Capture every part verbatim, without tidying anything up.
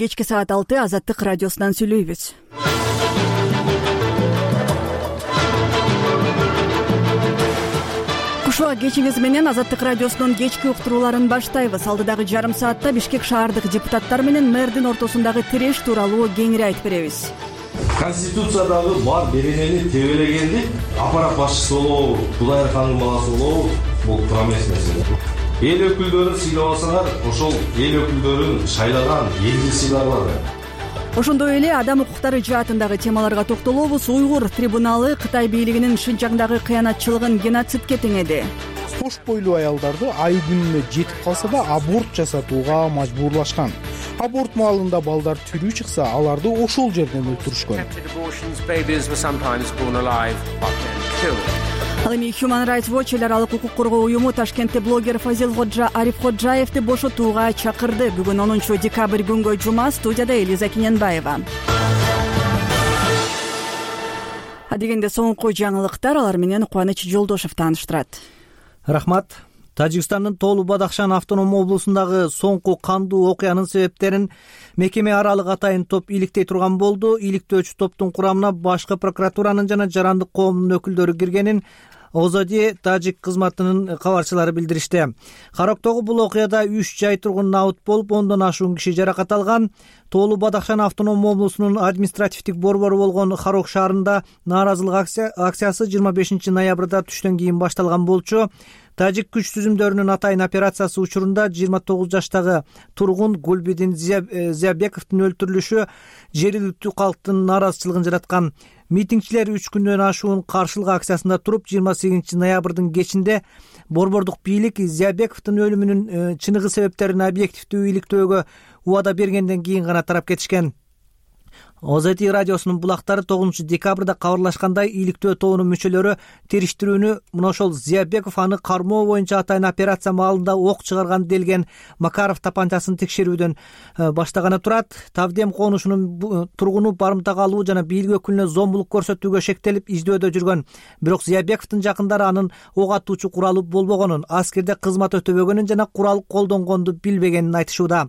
Кечки саат алты Азаттык радиосунан сүйлөйбүз. Кушуа кечиңиз менен Азаттык радиосунун кечки уктурууларын баштайбыз. Алдыдагы жарым саатта Бишкек шаардык депутаттар менен мэрдин ортосундагы тиреш тууралуу кеңири айтып беребиз. Конституциядагы бар беренени тебелегенди аппарат башчысы болобу, Кудайырхандын баласы болобу, бул туура эмес нерсе. Эл өкүлдөрүн сыйлабасаңар, ошол эл өкүлдөрүн шайлаган элди сыйларлар. Ошондой эле адам укуктары жаатындагы темаларга токтолобуз. Уйгур трибуналы Кытай бийлигинин Шинжаңдагы кыянатчылыгын геноцидке теңеди. Кош бойлуу аялдарды ай күнүнө жетип калса да аборт жасатууга мажбурлашкан. Аборт маалында балдар тирүү чыкса, аларды ошол жерден өлтүрүшкөн. Ал эми Human Rights Watch эл аралык укук коргоо уюму Ташкентте блогер Фазил Ходжа Арифходжаевди бошотууга чакырды. Бүгүн онунчу декабрь күнгө жума. Студияда Элиза Киненбаева. Адегенде соңку жаңылыктар, алар менен Кубаныч Жолдошев тааныштырат. Рахмат. Тажикстандын Тоолу Бадахшан автоном облусундагы соңку кандуу окуянын себептерин мекеме аралык атайын топ иликтей турган болду. Иликтөөчү топтун курамына башкы прокуратуранын жана жарандык коомдун өкүлдөрү киргенин Озоди тажик кызматынын кабарчылары билдиришти. Карактогу бул окуяда үч жай тургун абыт болуп, ондон ашуун киши жаракат алган. Тоолу Бадахшан автоном облусунун административдик борбору болгон Харок шаарында нааразылык акциясы жыйырма бешинчи ноябрда түштөн кийин башталган болчу. Тажик күч түзүмдөрүнүн атайын операциясы учурунда жыйырма тогуз жаштагы тургун Гулбидин Зиябековдун өлтүрүлүшү жергиликтүү калктын нааразычылыгын жараткан. Митингчилер үч күндөн ашуун каршылык акциясында туруп, жыйырма сегизинчи ноябрдын кечинде борбордук бийлик Зиябековдун өлүмүнүн чыныгы себептерин объективдүү иликтөөгө убада бергенден кийин гана тарап кетишкен. Озети радиосунун булактары тогузунчу декабрда кабарлашкандай, иликтөө тобунун мүчөлөрү териштирүүнү мына ошол Зиябеков аны кармоо боюнча атайын операция маалында ок чыгарган делген Макаров тапанчасын текшерүүдөн баштаганы турат. Тавдем конушунун тургуну барымтага алуу жана бийлик өкүлүнө зомбулук көрсөтүүгө шектелип издөөдө жүргөн. Бирок Зиябековдун жакындары анын ок атуучу куралы болбогонун, аскерде кызмат өтөбөгөнүн жана курал колдонгонду билбегенин айтышууда.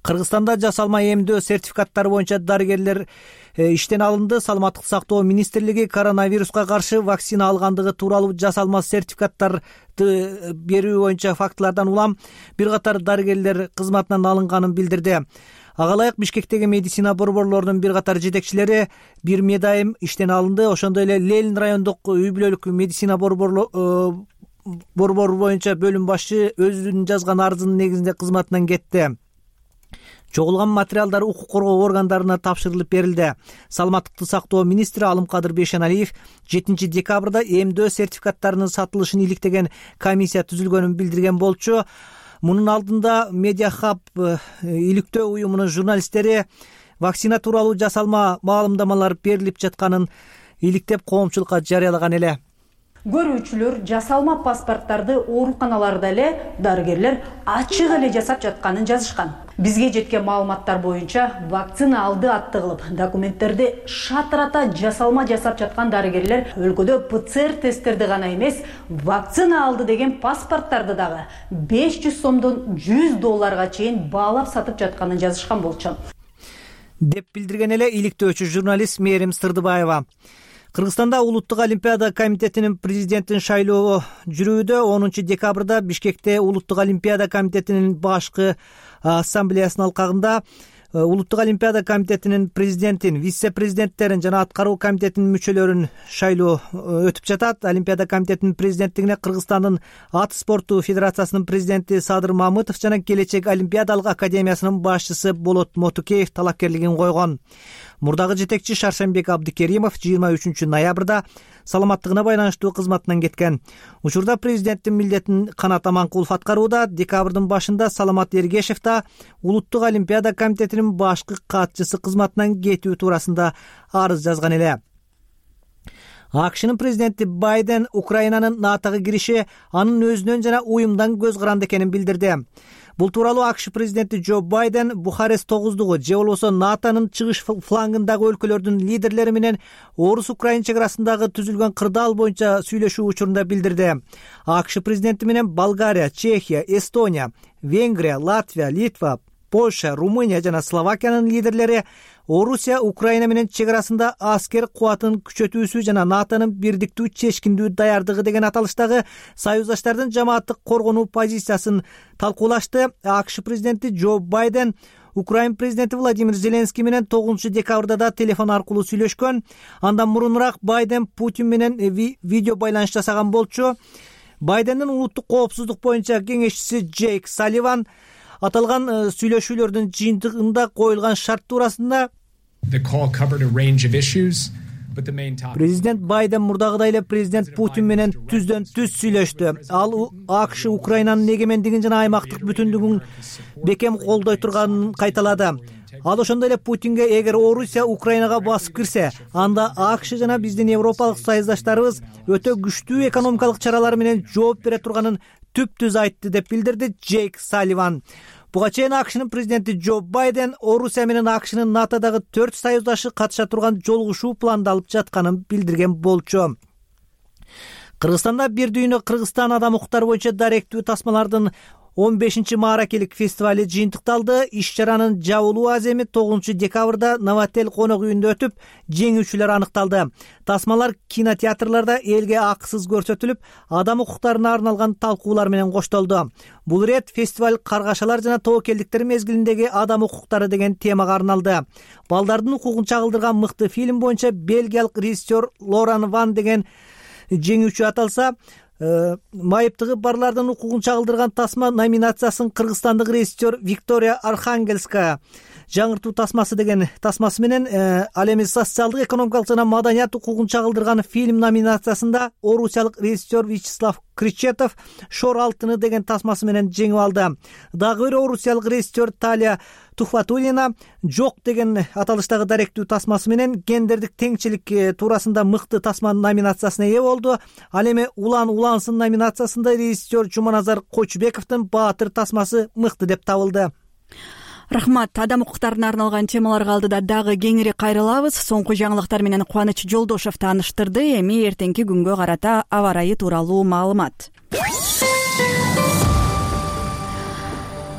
Кыргызстанда жасалма эмдөө сертификаттары боюнча дарыгерлер иштен алынды. Саламаттык сактоо министрлиги коронавируска каршы вакцина алгандыгы тууралуу жасалма сертификаттарды берүү боюнча фактылардан улам бир катар дарыгерлер кызматынан алынганын билдирди. Ага ылайык Бишкектеги медицина борборлорунун бир катар жетекчилери бир медайым иштен алынды. Ошондой эле Ленин райондук үй бүлөлүк медицина борбору боюнча бөлүм башчы өзүнүн жазган арызынын негизинде кызматынан кетти. Чогулган материалдар укук коргоо органдарына тапшырылып берилди. Саламаттыкты сактоо министри Алымкадыр Бейшеналиев жетинчи декабрда эмдөө сертификаттарынын сатылышын иликтеген комиссия түзүлгөнүн билдирген болчу. Мунун алдында Media Hub иликтөө уюмунун журналисттери вакцина тууралуу жасалма маалымдамалар берилип жатканын иликтеп коомчулукка жарыялаган эле. Көрүүчүлөр жасалма паспорттарды ооруканаларда эле дарыгерлер ачык эле жасап жатканын жазышкан. Бизге жеткен маалыматтар боюнча вакцина алды аттыгылып, документтерди шатырата жасалма жасап жаткан дарыгерлер өлкөдө ПЦР тесттерди гана эмес, вакцина алды деген паспорттарды дагы беш жүз сомдон жүз долларга чейин баалап сатып жатканын жазышкан болчу. Деп билдирген эле иликтөөчү журналист Мээрим Сырдыбаева. Кыргызстанда Улуттук Олимпиада комитетинин президентин шайлоого жүрүүдө. онунчу декабрда Бишкекте Улуттук Олимпиада комитетинин башкы ассамблеясынын алкагында Улуттук Олимпиада комитетинин президентин, вице-президенттерин жана аткаруу комитетинин мүчөлөрүн шайлоо өтүп жатат. Олимпиада комитетинин президенттигине Кыргызстандын ат спорту федерациясынын президенти Садыр Мамытов жана Келечек Олимпиадалык академиясынын башчысы Болот Мотукеев талапкерлигин койгон. Мурдагы жетекчи Шаршембек Абдыкеримов жыйырма үчүнчү ноябрда саламаттыгына байланыштуу кызматынан кеткен. Учурда президенттин милдетин Канат Аманкулов аткарууда. Декабрдын башында Саламат Эргешев да Улуттук Олимпиада комитетинин башкы катчысы кызматынан кетүү туурасында арыз жазган эле. АКШнын президенти Байден Украинанын НАТОго кириши анын өзүнөн жана уюмдан көз каранды экенин билдирди. Бул тууралуу АКШ президенти Джо Байден Бухарест тогуздугу же болбосо НАТОнун чыгыш флангындагы өлкөлөрдүн лидерлери менен орус-украин чек арасындагы түзүлгөн кырдаал боюнча сүйлөшүү учурунда билдирди. АКШ президенти менен Болгария, Чехия, Эстония, Венгрия, Латвия, Литва, Польша, Румыния жана Словакиянын лидерлери Орусия Украина менен чек арасында аскер кубатын күчөтүүсү жана НАТОнун бирдиктүү чечкиндүү даярдыгы деген аталыштагы союздаштардын жамааттык коргонуу позициясын талкуулашты. АКШ президенти Джо Байден Украина президенти Владимир Зеленский менен тогузунчу декабрда да телефон аркылуу сүйлөшкөн. Андан мурунураак Байден Путин менен ви- видео байланыш жасаган болчу. Байдендин улуттук коопсуздук боюнча кеңешчиси Джейк Салливан аталган сүйлөшүүлөрдүн жыйынтыгында коюлган шарт туурасында президент Байден мурдагыдай эле президент Путин менен түздөн түз сүйлөштү. Ал АКШ Украинанын эгемендигин жана аймактык бүтүндүгүн бекем колдой турганын кайталады. Ал ошондой эле Путинге эгер Орусия Украинага басып кирсе, анда АКШ жана биздин европалык союздаштарыбыз өтө күчтүү экономикалык чаралар менен жооп бере турганын түп-түз айтты деп билдирди Джейк Салливан. Буга чейин АКШнын президенти Джо Байден Орусия менен АКШнын НАТОдагы төрт союздашы катыша турган жолугушуу пландалып жатканын билдирген болчу. Кыргызстанда бир дүйнө Кыргызстан адам укуктары боюнча даректүү тасмалардын он бешинчи мааракелик фестивали жыйынтыкталды. Иш-чаранын жабылуу аземи тогузунчу декабрда Новотел конок үйүндө өтүп, жеңүүчүлөр аныкталды. Тасмалар кинотеатрларда элге акысыз көрсөтүлүп, адам укуктарына арналган талкуулар менен коштолду. Бул ирет фестиваль каргашалар жана тобокелдиктер мезгилиндеги адам укуктары деген темага арналды. Балдардын укугун чагылдырган мыкты фильм боюнча бельгиялык режиссер Лоран Ван деген жеңүүчү аталса, майыптыгы барлардын укугун чагылдырган тасма номинациясын кыргызстандык режиссер Виктория Архангельская жаңыртуу тасмасы деген тасмасы менен, ал эми социалдык, экономикалык жана маданият укугун чагылдырган фильм номинациясында орусиялык режиссер Вячеслав Кречетов Шор алтыны деген тасмасы менен жеңип алды. Дагы бир орусиялык режиссер Талия Тухватулина Жок деген аталыштагы даректүү тасмасы менен гендердик теңчилик туурасында мыкты тасма номинациясына ээ болду. Ал эми Улан улансын номинациясында режиссер Жуманазар Кочубековдун Баатыр тасмасы мыкты деп табылды. Рахмат. Адам укуктарына арналган темаларга алдыда дагы кеңири кайрылабыз. Соңку жаңылыктар менен Кубаныч Жолдошов тааныштырды. Эми эртеңки күнгө карата аба ырайы тууралуу маалымат.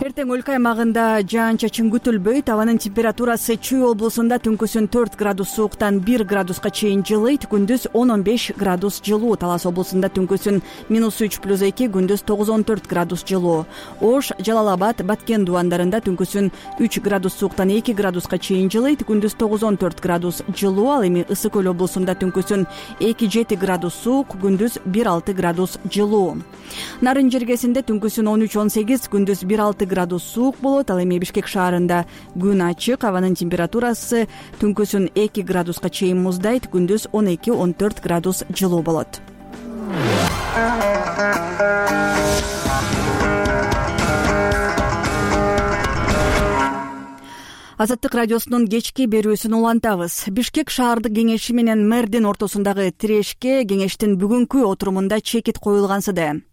Эртең өлкө аймагында жаан-чачын күтүлбөйт. Абанын температурасы Чүй облусунда түнкүсүн төрт градус сууктан бир градуска чейин жылыйт, күндүз он он беш градус жылуу. Талас облусунда түнкүсүн минус үч плюс эки, күндүз тогуз он төрт градус жылуу. Ош, Жалал-Абад, Баткен дубандарында түнкүсүн үч градус сууктан эки градуска чейин жылыйт, күндүз тогуз он төрт градус жылуу. Ал эми Ысык көл облусунда түнкүсүн эки жети градус суук, күндүз бир алты градус жылуу. Нарын жергесинде түнкүсүн он үч он сегиз, күндүз бир алты градус суук болот. Ал эми Бишкек шаарында күн ачык, абанын температурасы түнкүсүн эки градуска чейин муздайт, күндүз он эки он төрт градус жылуу болот. Азаттык радиосунун кечки берүүсүн улантабыз. Бишкек шаардык кеңеши менен мэрдин ортосундагы тирешке кеңештин бүгүнкү отурумунда чекит коюлгансыды.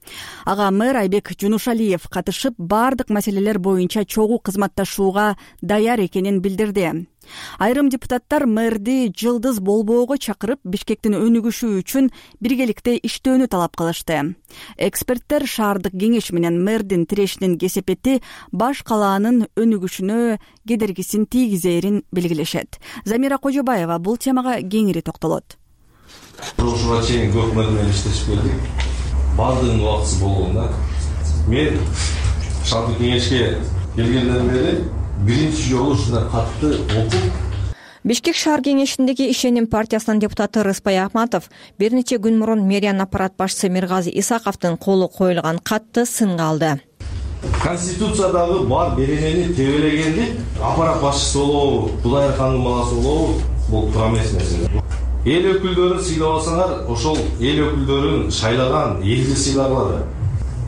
Ага мэр Айбек Жунушалиев катышып, бардык маселелер боюнча чогуу кызматташууга даяр экенин билдирди. Айрым депутаттар мэрди жылдыз болбоого чакырып, Бишкектин өнүгүшү үчүн биргеликте иштөөнү талап кылышты. Эксперттер шаардык кеңеш менен мэрдин тирешинин кесепети баш калаанын өнүгүшүнө кедергисин тийгизээрин белгилешет. Замира Кожобаева бул темага кеңири токтолот. Ушуга чейин көп мэр менен иштешип келдик. Бардыгынын убактысы болгонда мен шаардык кеңешке келгенден бери биринчи жолу ушундай катты окуп. Бишкек шаар кеңешиндеги Ишеним партиясынын депутаты Рыспай Ахматов бир нече күн мурун мэриянын аппарат башчысы Миргази Исаковдун колу коюлган катты сынга алды. Конституциядагы бар беренени тебелегенди аппарат башчысы болобу, Кудайыркандын баласы болобу, бул туура эмес нерсе. Эл өкүлдөрүн сыйлабасаңар, ошол эл өкүлдөрүн шайлаган элди сыйлагылар.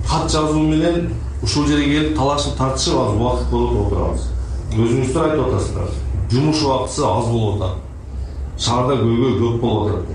Кат жазуу менен ушул жерге келип талашып тартышып аз убакыт болуп отурабыз. Өзүңүздөр айтып атасыздар. Жумуш убактысы аз болуп атат. Шаарда көйгөй көп болуп атат.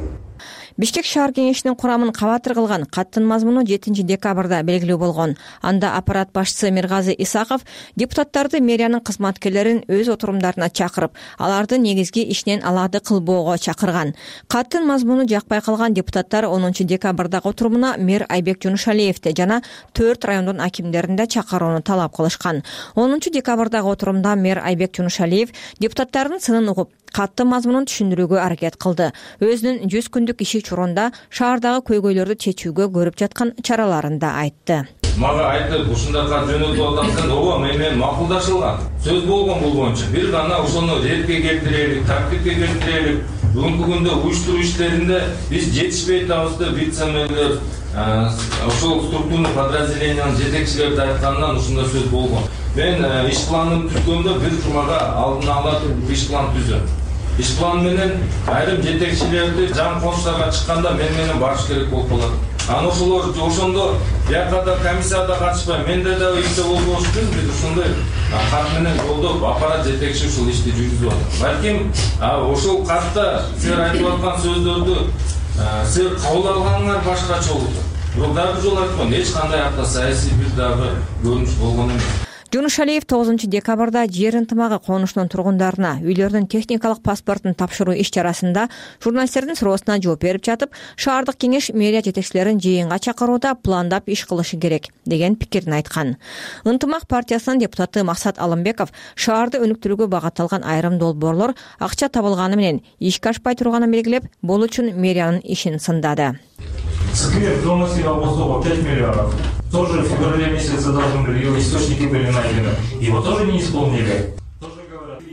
Бишкек шаар кеңешинин курамын кабатыр кылган каттын мазмуну жетинчи декабрда белгилүү болгон. Анда аппарат башчысы Миргазы Исаков депутаттарды мэриянын кызматкерлерин өз отурумдарына чакырып, аларды негизги ишинен алады кылбоого чакырган. Каттын мазмуну жакпай калган депутаттар онунчу декабрдагы отурумуна мэр Айбек Жунушалиевди жана төрт райондун акимдерин да чакырууну талап кылышкан. онунчу декабрдагы отурумда мэр Айбек Жунушалиев депутаттардын сынын угуп, катты мазмунун түшүндүрүүгө аракет кылды. Өзүнүн жүз күндүк иши чорунда шаардагы көйгөйлөрдү чечүүгө көрүп жаткан чараларын да айтты. Мага айтып, ушундай кат жөнөтүп атасың, ооба, менен макулдашылган. Сөз болгон бул боюнча бир гана ошону ретке келтирелик, тартипке келтирелик. Бүгүнкү күндө уюштуруу иштеринде биз жетишпей атабыз деп вице-мэрлер, ошол структурный подразделениянын жетекчилери айтканынан ушундай сөз болгон. Мен иш планын түзгөндө бир жумага алдын ала иш план түзөм. Иш план менен айрым жетекчилерди жан кошуштарга чыкканда мен менен барыш керек болуп калат. Аны ошолор ошондо биякада комиссияда катышпай, менде да иште болбош үчүн биз ушундай кат менен жолдоп аппарат жетекчи ушул ишти жүргүзүп атат. Балким ошол катта силер айтып аткан сөздөрдү силер кабыл алганыңар башкача болот. Бирок дагы жол айткан, эч кандай акта саясий бир дагы көрүнүш болгон эмес. Жунушалиев тогузунчу декабрда жер ынтымагы конушунун тургундарына үйлөрдүн техникалык паспортун тапшыруу иш чарасында журналисттердин суроосуна жооп берип жатып, шаардык кеңеш мэрия жетекчилерин жыйынга чакырууда пландап иш кылышы керек деген пикирин айткан. Ынтымак партиясынын депутаты Максат Алымбеков шаарды өнүктүрүүгө багытталган айрым долбоорлор акча табылганы менен ишке ашпай турганын белгилеп, бул үчүн мэриянын ишин сындады. Сквер дома Синагосова пять миллионов. Тоже в феврале месяце должны были, его источники были найдены. Его тоже не исполнили.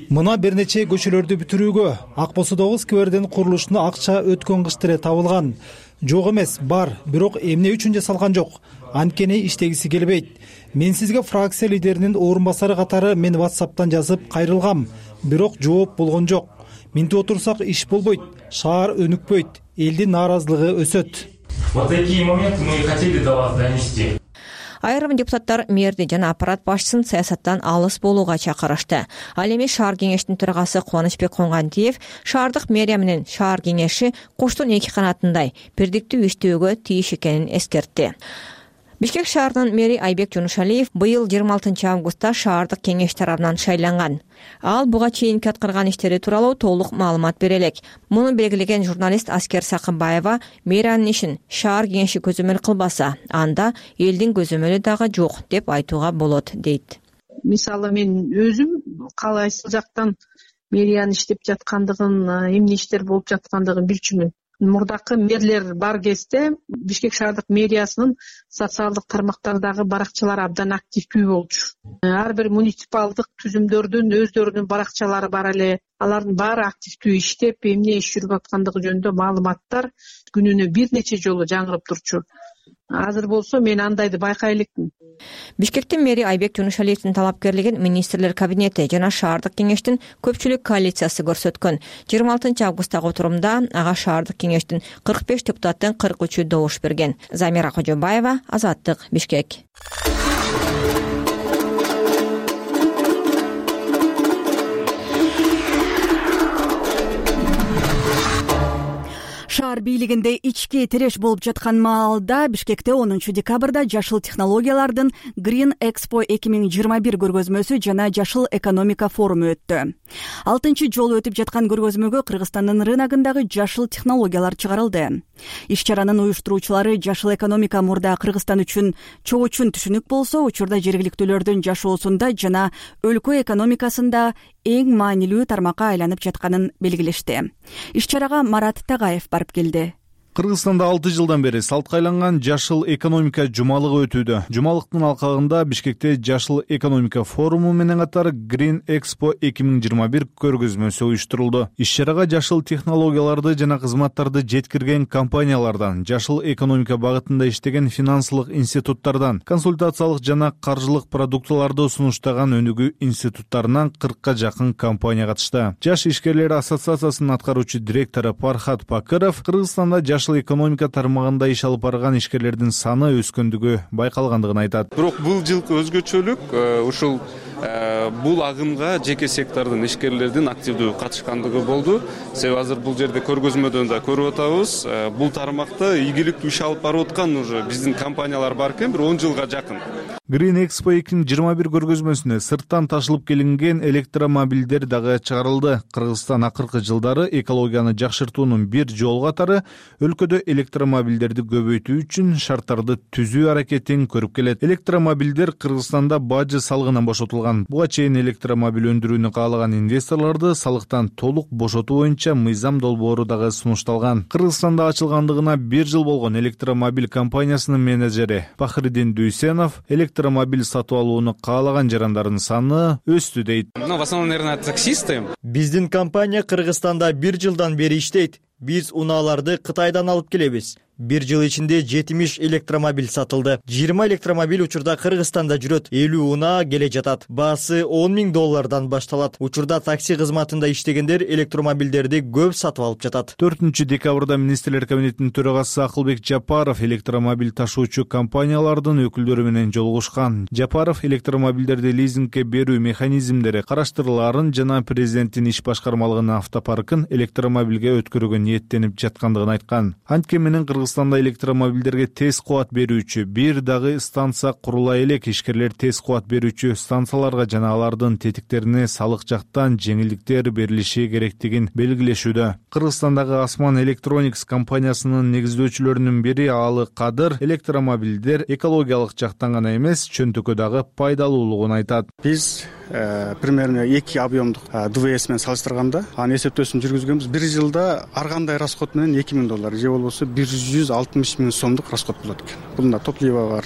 Мына бир нече көчөлөрдү бүтүрүүгө Ак Босодогу сквердин курулушуна акча өткөн кыш деле табылган. Жок эмес, бар, бирок эмне үчүн жасалган жок. Анткени иштегиси келбейт. Мен сизге фракция лидеринин орун басары катары мен WhatsApp'тан жазып кайрылгам, бирок жооп болгон жок. Минтип отурсак иш болбойт, шаар өнүкпөйт, элдин нааразылыгы өсөт. Вот такие моменты мы хотели до вас донести. Айрым депутаттар мэрди жана аппарат башчысын саясаттан алыс болууга чакырышты. Ал эми шаар кеңештин төрагасы Кубанычбек Коңгантиев шаардык мэрия менен шаар кеңеши куштун эки канатындай бирдиктүү иштөөгө тийиш экенин эскертти. Бишкек шаарынын мэри Айбек Жунушалиев быйыл жыйырма алтынчы августта шаардык кеңеш тарабынан шайланган. Ал буга чейинки аткарган иштери тууралуу толук маалымат бере элек. Муну белгилеген журналист Аскер Сакынбаева мэриянын ишин шаар кеңеши көзөмөл кылбаса, анда элдин көзөмөлү дагы жок деп айтууга болот дейт. Мисалы мен өзүм калайсыл жактан мэриянын иштеп жаткандыгын, эмне иштер болуп жаткандыгын билчүмүн. Мурдакы мэрлер бар кезде Бишкек шаардык мэриясынын социалдык тармактардагы баракчалары абдан активдүү болчу. Ар бир муниципалдык түзүмдөрдүн өздөрүнүн баракчалары бар эле. Алардын баары активдүү иштеп, эмне иш жүрүп аткандыгы жөнүндө маалыматтар күнүнө бир нече жолу жаңырып турчу. Азыр болсо мен андайды байкай элекмин. Бишкектин мэри Айбек Жунушалиевдин талапкерлигин министрлер кабинети жана шаардык кеңештин көпчүлүк коалициясы көрсөткөн. жыйырма алтынчы августтагы отурумда ага шаардык кеңештин кырк беш депутаттын кырк үчү добуш берген. Замира Кожобаева, Азаттык, Бишкек. Шаар бийлигинде ички тиреш болуп жаткан маалда Бишкекте онунчу декабрда жашыл технологиялардын Green Expo эки миң жыйырма бир көргөзмөсү жана жашыл экономика форуму өттү. Алтынчы жолу өтүп жаткан көргөзмөгө Кыргызстандын рыногундагы жашыл технологиялар чыгарылды. Иш-чаранын уюштуруучулары жашыл экономика мурда Кыргызстан үчүн чогуу түшүнүк болсо, учурда жергиликтүүлөрдүн жашоосунда жана өлкө экономикасында эң маанилүү тармакка айланып жатканын белгилешти. Иш-чарага Марат Тагаев барып келди. Кыргызстанда алты жылдан бери салтка айланган жашыл экономика жумалыгы өтүүдө. Жумалыктын алкагында Бишкекте жашыл экономика форуму менен катар Green Expo эки миң жыйырма бир көргөзмөсү уюштурулду. Иш-чарага жашыл технологияларды жана кызматтарды жеткирген компаниялардан, жашыл экономика багытында иштеген финансылык институттардан, консультациялык жана каржылык продуктыларды сунуштаган өнүгүү институттарынан кыркка жакын компания катышты. Жаш ишкерлер ассоциациясынын аткаруучу директору Пархат Пакыров Кыргызстанда жашыл жашыл экономика тармагында иш алып барган ишкерлердин саны өскөндүгү байкалгандыгын айтат. Бирок бул жылкы өзгөчөлүк ушул бул агымга жеке сектордун ишкерлердин активдүү катышкандыгы болду. Себеби азыр бул жерде көргөзмөдөн да көрүп атабыз. Бул тармакта ийгиликтүү иш алып барып аткан уже биздин компаниялар бар экен, бир он жылга жакын. Green Expo эки миң жыйырма бир көргөзмөсүнө сырттан ташылып келинген электромобилдер дагы чыгарылды. Кыргызстан акыркы жылдары экологияны жакшыртуунун бир жол катары өлкөдө электромобилдерди көбөйтүү үчүн шарттарды түзүү аракетин көрүп келет. Электромобилдер Кыргызстанда бажы салыгынан бошотулган. Буга чейин электромобиль өндүрүүнү каалаган инвесторлорду салыктан толук бошотуу боюнча мыйзам долбоору дагы сунушталган. Кыргызстанда ачылгандыгына бир жыл болгон электромобиль компаниясынын менеджери Пахридин Дүйсенов электромобиль сатып алууну каалаган жарандардын саны өстү дейт. Ну, в основном, наверное, таксисты. Биздин компания Кыргызстанда бир жылдан бери иштейт. Биз унааларды Кытайдан алып келебиз. Бир жыл ичинде жетимиш электромобиль сатылды. жыйырма электромобиль учурда Кыргызстанда жүрөт. элүү унаа келе жатат. Баасы он миң доллардан башталат. Учурда такси кызматында иштегендер электромобилдерди көп сатып алып жатат. төртүнчү декабрда министрлер кабинетинин төрагасы Акылбек Жапаров электромобиль ташуучу компаниялардын өкүлдөрү менен жолугушкан. Жапаров электромобилдерди лизингге берүү механизмдери караштырылаарын жана президенттин иш башкармалыгынын автопаркын электромобилге өткөрүүгө ниеттенип жаткандыгын айткан. Антке менен Кыргызстанда электромобилдерге тез кубат берүүчү бир дагы станция курула элек. Ишкерлер тез кубат берүүчү станцияларга жана алардын тетиктерине салык жактан жеңилдиктер берилиши керектигин белгилешүүдө. Кыргызстандагы Осман Electronics компаниясынын негиздөөчүлөрүнүн бири Алы Кадыр электромобилдер экологиялык жактан гана эмес, чөнтөккө дагы пайдалуулугун айтат. Биз примерно эки объемдук ДВС менен салыштырганда анын эсептөөсүн жүргүзгөнбүз. Бир жылда ар кандай расход менен эки миң доллар же болбосо бир жүз алтымыш миң сомдук расход болот экен. Бунда топливо бар,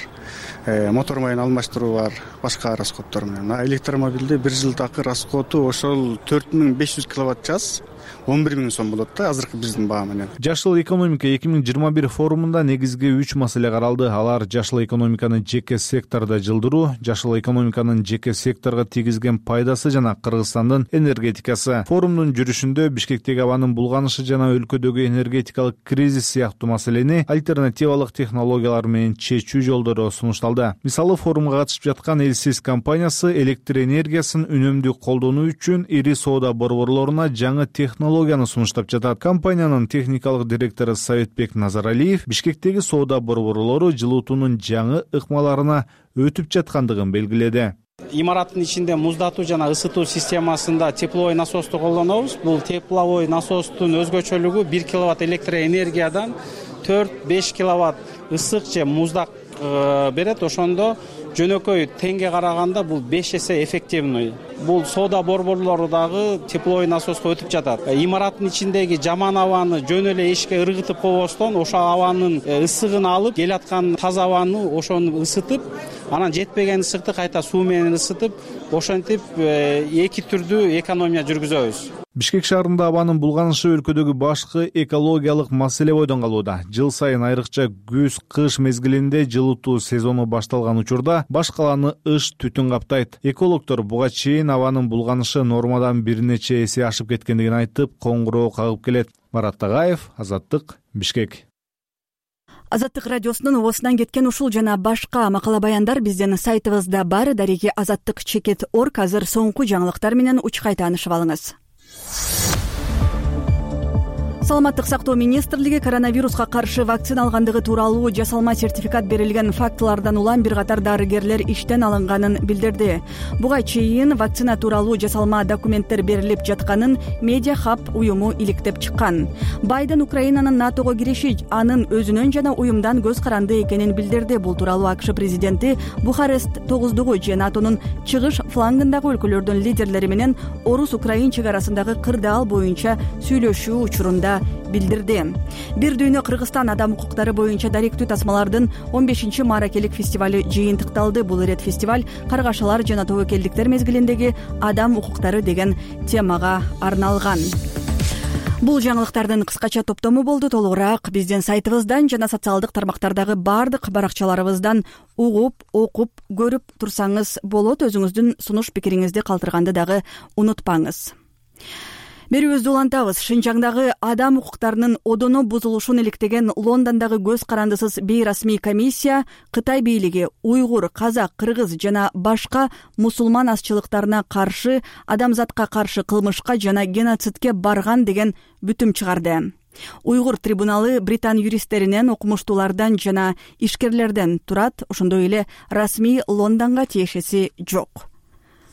мотор майын алмаштыруу бар, башка расходдор менен. А электромобилде бир жылдагы расходу ошол төрт миң беш жүз киловатт час он бир миң сом болот да азыркы биздин баа менен. Жашыл экономика эки миң жыйырма бир форумунда негизги үч маселе каралды. Алар жашыл экономиканы жеке сектордо жылдыруу, жашыл экономиканын жеке секторго тийгизген пайдасы жана Кыргызстандын энергетикасы. Форумдун жүрүшүндө Бишкектеги абанын булганышы жана өлкөдөгү энергетикалык кризис сыяктуу маселени альтернативалык технологиялар менен чечүү жолдору сунушталды. Мисалы, форумга катышып жаткан Элсис компаниясы электр энергиясын үнөмдүү колдонуу үчүн ири соода борборлоруна жаңы технологияны сунуштап жатат. Компаниянын техникалык директору Советбек Назаралиев Бишкектеги соода борборлору жылуутуунун жаңы ыкмаларына өтүп жаткандыгын белгиледи. Имараттын ичинде муздатуу жана ысытуу системасында тепловой насосту колдонобуз. Бул тепловой насостун өзгөчөлүгү бир киловатт электр энергиядан төрт беш киловатт ысык же муздак берет. Ошондо жөнөкөй теңге караганда бул беш эсе эффективный. Бул соода борборлору дагы тепловой насостко өтүп жатат. Имараттын ичиндеги жаман абаны жөн эле эшикке ыргытып койбостон ошо абанын ысыгын алып, келаткан таза абаны ошону ысытып, анан жетпеген ысыкты кайта суу менен ысытып, ошентип эки түрдүү экономия жүргүзөбүз. Бишкек шаарында абанын булганышы өлкөдөгү башкы экологиялык маселе бойдон калууда. Жыл сайын айрыкча күз-кыш мезгилинде жылытуу сезону башталган учурда баш каланы ыш түтүн каптайт. Экологдор буга чейин абанын булганышы нормадан бир нече эсе ашып кеткендигин айтып, коңгуроо кагып келет. Марат Тагаев, Азаттык, Бишкек. Азаттык радиосунун оосунан кеткен ушул жана башка макала баяндар биздин сайтыбызда бар. Дареги азаттык чекит орг. Азыр соңку жаңылыктар менен учкай таанышып алыңыз. Саламаттык сактоо министрлиги коронавируска каршы вакцина алгандыгы тууралуу жасалма сертификат берилген фактылардан улам бир катар дарыгерлер иштен алынганын билдирди. Буга чейин вакцина тууралуу жасалма документтер берилип жатканын Media Hub уюму иликтеп чыккан. Байден Украинанын НАТОго кириши анын өзүнөн жана уюмдан көз каранды экенин билдирди. Бул тууралуу АКШ президенти Бухарест тогуздугу же НАТОнун чыгыш флангындагы өлкөлөрдүн лидерлери менен Орус-Украин чек арасындагы кырдаал боюнча сүйлөшүү учурунда билдирди. Бир дүйнө Кыргызстан адам укуктары боюнча даректүү тасмалардын он бешинчи мааракелик фестивали жыйынтыкталды. Бул ирет фестиваль каргашалар жана тобокелдиктер мезгилиндеги адам укуктары деген темага арналган. Бул жаңылыктардын кыскача топтому болду. Толугураак биздин сайтыбыздан жана социалдык тармактардагы бардык баракчаларыбыздан угуп, окуп, көрүп турсаңыз болот. Өзүңүздүн сунуш пикириңизди калтырганды дагы унутпаңыз. Берүүбүздү улантабыз. Шинжаңдагы адам укуктарынын одоно бузулушун иликтеген Лондондогу көз карандысыз бейрасмий комиссия Кытай бийлиги уйгур, казак, кыргыз жана башка мусулман азчылыктарына каршы адамзатка каршы кылмышка жана геноцидке барган деген бүтүм чыгарды. Уйгур трибуналы британ юристтеринен, окумуштуулардан жана ишкерлерден турат, ошондой эле расмий Лондонго тиешеси жок.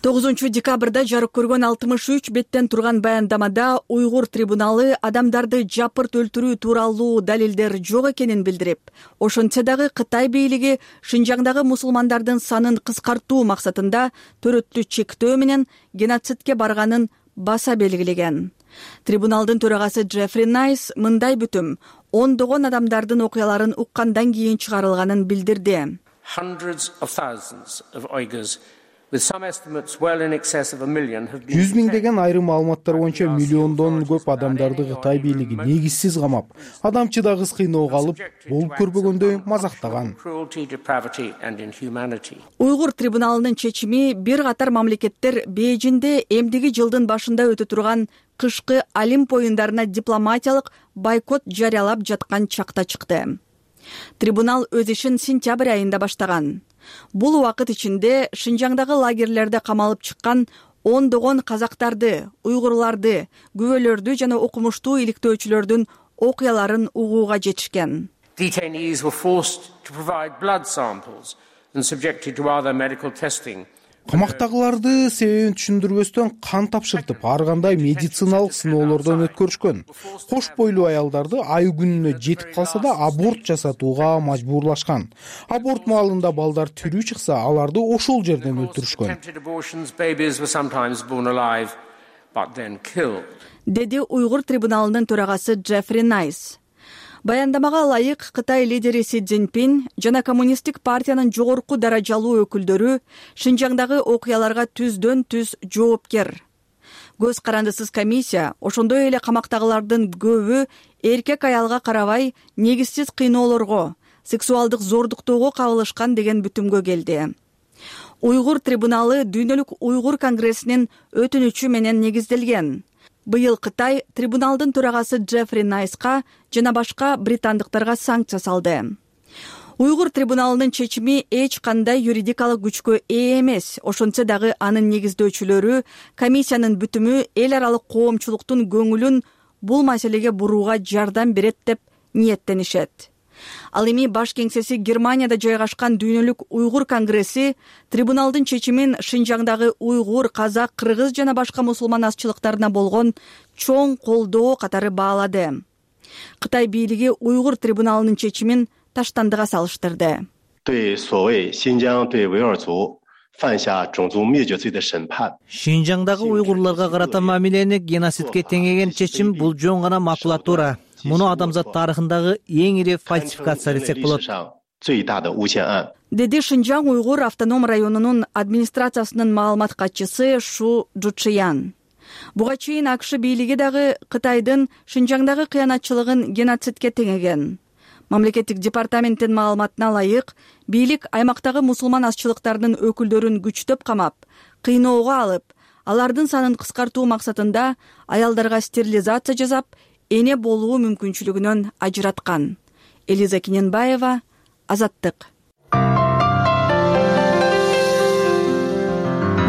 тогузунчу декабрда жарык көргөн алтымыш үч беттен турган баяндамада Уйгур трибуналы адамдарды жапырт өлтүрүү тууралуу далилдер жок экенин билдирип, ошентсе дагы Кытай бийлиги Шинжаңдагы мусулмандардын санын кыскартуу максатында төрөттү чектөө менен геноцидке барганын баса белгилеген. Трибуналдын төрагасы Джеффри Найс мындай бүтүм ондогон адамдардын окуяларын уккандан кийин чыгарылганын билдирди. жүз миңдеген айрым маалыматтар боюнча миллиондон көп адамдарды Кытай бийлиги негизсиз камап, адамчыда кыз кыйноого алып, болуп көрбөгөндөй мазактаган. Уйгур трибуналынын чечими бир катар мамлекеттер Бейжинде эмдиги жылдын башында өтө турган кышкы Олимп оюндарына дипломатиялык бойкот жарыялап жаткан чакта чыкты. Трибунал өз ишин сентябрь айында баштаган. Бул убакыт ичинде Шинжаңдагы лагерлерде камалып чыккан ондогон казактарды, уйгурларды, күбөлөрдү жана окумуштуу иликтөөчүлөрдүн окуяларын угууга жетишкен. Detainees were forced to provide blood samples and subjected to other medical testing. Камактагыларды себебин түшүндүрбөстөн кан тапшыртып, ар кандай медициналык сыноолордон өткөрүшкөн. Кош бойлуу аялдарды ай күнүнө жетип калса да аборт жасатууга мажбурлашкан. Аборт маалында балдар тирүү чыкса, аларды ошол жерден өлтүрүшкөн. Деди Уйгур трибуналынын төрагасы Джеффри Найс. Баяндамага ылайык Кытай лидери Си Цзиньпин жана коммунисттик партиянын жогорку даражалуу өкүлдөрү Шинжаңдагы окуяларга түздөн түз жоопкер. Көз карандысыз комиссия ошондой эле камактагылардын көбү эркек аялга карабай негизсиз кыйноолорго, сексуалдык зордуктоого кабылышкан деген бүтүмгө келди. Уйгур трибуналы Дүйнөлүк уйгур конгрессинин өтүнүчү менен негизделген. Быйыл Кытай трибуналдын төрагасы Джеффри Найска жана башка британдыктарга санкция салды. Уйгур трибуналынын чечими эч кандай юридикалык күчкө ээ эмес, ошентсе дагы анын негиздөөчүлөрү комиссиянын бүтүмү эл аралык коомчулуктун көңүлүн бул маселеге бурууга жардам берет деп ниеттенишет. Ал эми баш кеңсеси Германияда жайгашкан Дүйнөлүк уйгур конгресси трибуналдын чечимин Шинжаңдагы уйгур, казак, кыргыз жана башка мусулман азчылыктарына болгон чоң колдоо катары баалады. Кытай бийлиги уйгур трибуналынын чечимин таштандыга салыштырды. Шинжаңдагы уйгурларга карата мамилени геноцидке теңеген чечим бул жөн гана макулатура. Муну адамзат тарыхындагы эң ири фальсификация десек болот. Деди Шинжаң уйгур автоном районунун администрациясынын маалымат катчысы Шу Жучиян. Буга чейин АКШ бийлиги дагы Кытайдын Шинжаңдагы кыянатчылыгын геноцидке теңеген. Мамлекеттик департаменттин маалыматына ылайык, бийлик аймактагы мусулман азчылыктарынын өкүлдөрүн күчтөп камап, кыйноого алып, алардын санын кыскартуу максатында аялдарга стерилизация жасап, эне болуу мүмкүнчүлүгүнөн ажыраткан. Элиза Кененбаева, Азаттык.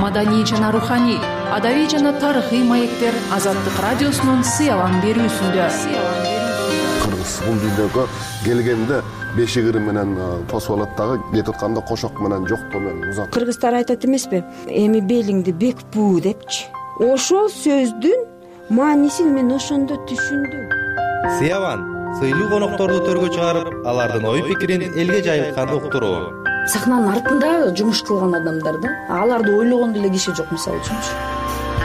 Маданий жана руханий, адабий жана тарыхый маектер Азаттык радиосунун сыялан берүүсүндө. Кыргыз бул дүйнөгө келгенде беши кыры менен тосуп алат дагы, кетип атканда кошок менен жоктоо менен узат. Кыргыздар айтат эмеспи? Эми белиңди бек буу депчи. Ошол сөздүн маанисин мен ошондо түшүндүм. Сыяван сыйлуу конокторду төргө чыгарып, алардын ой пикирин элге жайылткан уктуруу. Сахнанын артында жумуш кылган адамдар да, аларды ойлогон деле киши жок мисалы үчүнчү.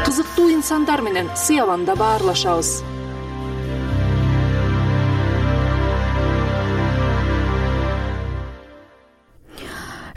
Кызыктуу инсандар менен Сыяванда баарлашабыз.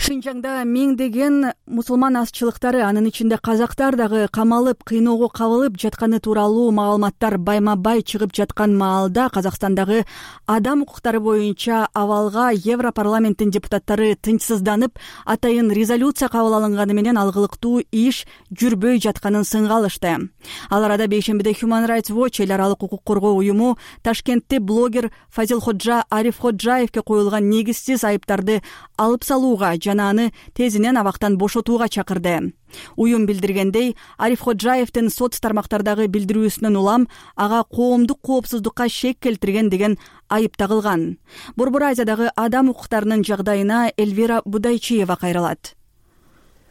Шинжаңда миңдеген мусулман азчылыктары, анын ичинде казактар дагы камалып, кыйноого кабылып жатканы тууралуу маалыматтар байма-бай чыгып жаткан маалда Казакстандагы адам укуктары боюнча абалга Европарламенттин депутаттары тынчсызданып, атайын резолюция кабыл алынганы менен алгылыктуу иш жүрбөй жатканын сынга алышты. Ал арада бейшембиде Human Rights Watch эл аралык укук коргоо уюму Ташкентте блогер Фазилходжа Арифходжаевке коюлган негизсиз айыптарды алып салууга жана аны тезинен абактан бошотууга чакырды. Уюм билдиргендей, Арифходжаевдин соц тармактардагы билдирүүсүнөн улам ага коомдук коопсуздукка шек келтирген деген айып тагылган. Борбор Азиядагы адам укуктарынын жагдайына Эльвира Будайчиева кайрылат.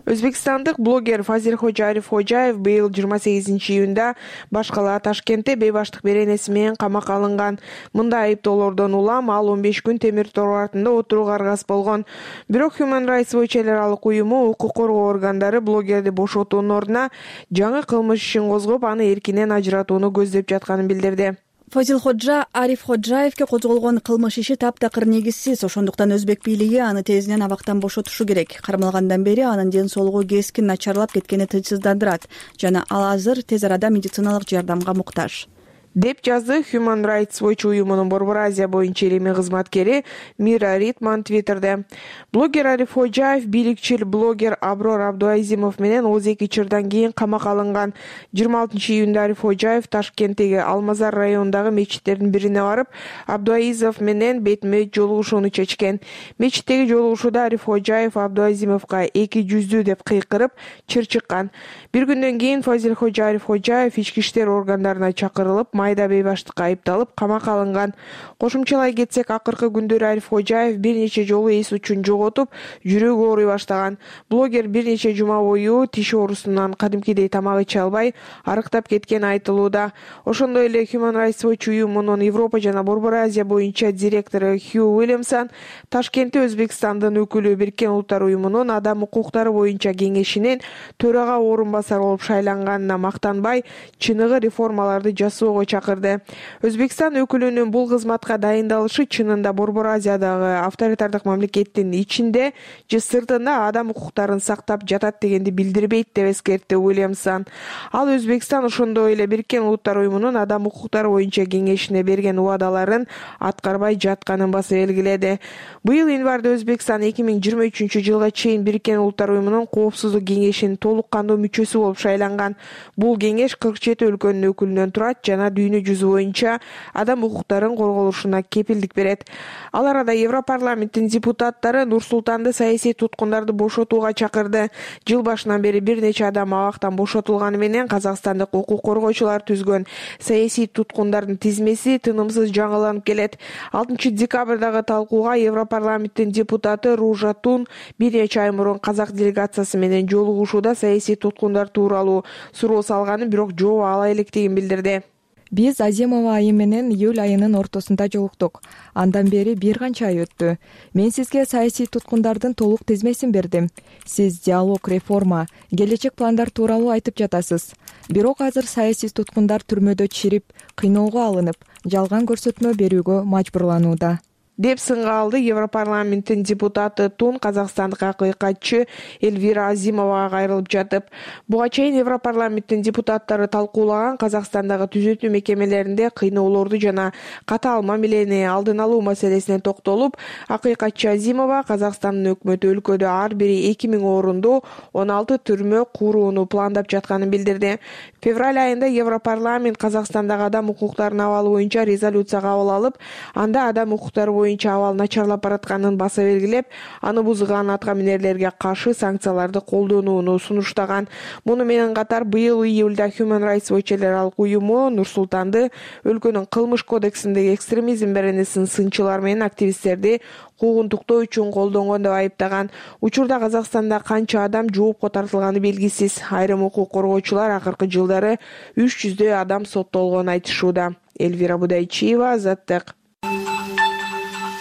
Өзбекстандык блогер Фазилходжа Арифходжаев быйыл жыйырма сегизинчи июнда баш кала Ташкентте бейбаштык беренеси менен камакка алынган. Мындай айыптоолордон улам ал он беш күн темир тор артында отурууга аргасыз болгон. Бирок Human Rights Watch эл аралык уюму укук коргоо органдары блогерди бошотуунун ордуна жаңы кылмыш ишин козгоп, аны эркинен ажыратууну көздөп жатканын билдирди. Фазилходжа Арифходжаевке козголгон кылмыш иши таптакыр негизсиз, ошондуктан өзбек бийлиги аны тезинен абактан бошотушу керек. Кармалгандан бери анын ден соолугу кескин начарлап кеткени тынчсыздандырат жана ал азыр тез арада медициналык жардамга муктаж, деп жазды Human Rights Watch уюмунун Борбор Азия боюнча илимий кызматкери Мира Ритман Твиттерде. Блогер Арифходжаев бийликчил блогер Аброр Абдуазимов менен отуз эки чырдан кийин камакка алынган. жыйырма алтынчы июнда Арифходжаев Ташкенттеги Алмазар районундагы мечиттердин бирине барып, Абдуазимов менен бетме жолугушууну чечкен. Мечиттеги жолугушууда Арифходжаев Абдуазимовго эки жүздүү деп кыйкырып, чыр чыккан. Бир күндөн кийин Фазилходжа Арифходжаев ички иштер органдарына чакырылып, майда бейбаштыкка айыпталып, камакка алынган. Кошумчалай кетсек, акыркы күндөрү Арифходжаев бир нече жолу эс учун жоготуп, жүрөгү ооруй баштаган. Блогер бир нече жума бою тиш оорусунан кадимкидей тамак иче албай, арыктап кеткени айтылууда. Ошондой эле Human Rights Watch уюмунун Европа жана Борбор Азия боюнча директору Хью Уильямсон Ташкентте Өзбекстандын өкүлү Бириккен Улуттар уюмунун адам укуктары боюнча кеңешинин төрага орун басары болуп шайланганына мактанбай, чыныгы реформаларды жасоого чакырды. Өзбекстан өкүлүнүн бул кызматка дайындалышы чынында Борбор Азиядагы авторитардык мамлекеттин ичинде же сыртында адам укуктарын сактап жатат дегенди билдирбейт деп эскертти Уильямсон. Ал Өзбекстан ошондой эле Бириккен Улуттар уюмунун адам укуктары боюнча кеңешине берген убадаларын аткарбай жатканын баса белгиледи. Быйыл январда Өзбекстан эки миң жыйырма үчүнчү жылга чейин Бириккен Улуттар уюмунун коопсуздук кеңешинин толук кандуу мүчөсү болуп шайланган. Бул кеңеш кырк жети өлкөнүн өкүлүнөн турат жана дүйнө жүзү боюнча адам укуктарын корголушуна кепилдик берет. Ал арада Европарламенттин депутаттары Нур-Султанды саясий туткундарды бошотууга чакырды. Жыл башынан бери бир нече адам абактан бошотулганы менен Казакстандык укук коргоочулар түзгөн саясий туткундардын тизмеси тынымсыз жаңыланып келет. алтынчы декабрдагы талкууга Европарламенттин депутаты Ружа Тун бир нече ай мурун казак делегациясы менен жолугушууда саясий туткундар тууралуу суроо салганын, бирок жооп ала электигин билдирди. Биз Азимова айым менен июль айынын ортосунда жолуктук. Андан бери бир канча ай өттү. Мен сизге саясий туткундардын толук тизмесин бердим. Сиз диалог, реформа, келечек пландар тууралуу айтып жатасыз. Бирок азыр саясий туткундар түрмөдө чирип, кыйноого алынып, жалган көрсөтмө берүүгө мажбурланууда, деп сынга алды Европарламенттин депутаты Тун казакстандык акыйкатчы Эльвира Азимовага кайрылып жатып. Буга чейин Европарламенттин депутаттары талкуулаган Казакстандагы түзөтүү мекемелеринде кыйноолорду жана катаал мамилени алдын алуу маселесине токтолуп, акыйкатчы Азимова Казакстандын өкмөтү өлкөдө ар бири эки миң орунду он алты түрмө курууну пландап жатканын билдирди. Февраль айында Европарламент Казакстандагы адам укуктарынын абалы боюнча резолюция кабыл алып, анда адам укуктары боюнча абал начарлап баратканын баса белгилеп, аны бузган атка минерлерге каршы санкцияларды колдонууну сунуштаган. Муну менен катар быйыл июлда Human Rights Watch эл аралык уюму Нур-Султанды өлкөнүн кылмыш кодексиндеги экстремизм беренесин сынчылар менен активисттерди куугунтуктоо үчүн колдонгон деп айыптаган. Учурда Казакстанда канча адам жоопко тартылганы белгисиз. Айрым укук коргоочулар акыркы жылдары үч жүздөй адам соттолгонун айтышууда. Эльвира Будайчиева, Азаттык.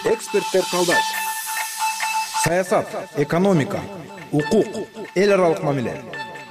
Эксперттер талдайт. Саясат, экономика, укук, эл аралык мамиле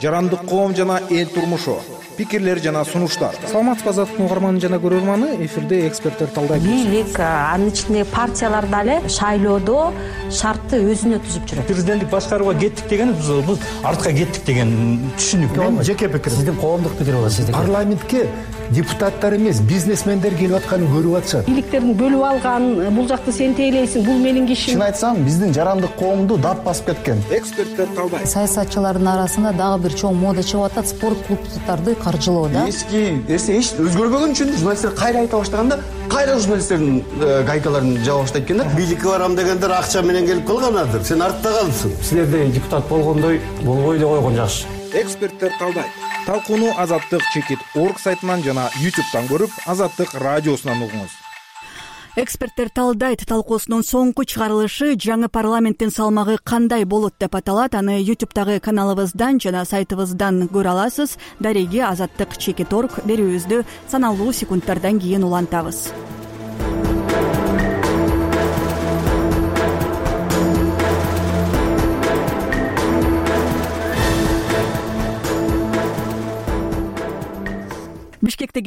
жарандык коом жана эл турмушу, пикирлер жана сунуштар. Саламатсызбы Азаттыктын угарманы жана көрөрманы, эфирде эксперттер талдайт. Бийлик, анын ичинде партиялар дагы шайлоодо шартты өзүнө түзүп жүрөт. Президенттик башкарууга кеттик деген бул артка кеттик деген түшүнүк. Мен жеке пикирим. Сиздин коомдук пикир болот сиздики. Парламентке депутаттар эмес, бизнесмендер келип атканын көрүп атышат. Бийликтерин бөлүп алган, бул жакты сен тейлейсиң, бул менин кишим. Чын айтсам, биздин жарандык коомду дап басып кеткен. Эксперттер талдайт. Саясатчылардын арасында дагы бир чоң мода чыгып атат, спорт клубдарды каржылоо да. Эски эсе эч өзгөрбөгөн үчүн журналисттер кайра айта баштаганда, кайра журналисттердин гайкаларын жаба баштайт экен да. Бийликке барам дегендер акча менен келип калганадыр. Сен артта калдың. Силерде депутат болгондой болбой эле койгон жакшы. Эксперттер талдайт. Талкууну Азаттык чекит орг сайтынан жана ютубтан көрүп, Азаттык радиосунан угуңуз. Эксперттер талдайт. Талкуусунун соңку чыгарылышы жаңы парламенттин салмагы кандай болот деп аталат. Аны ютубтагы каналыбыздан жана сайтыбыздан көрө аласыз. Дареги Азаттык чекит орг берүүбүздү саналуу секундтардан кийин улантабыз. Бишкектеги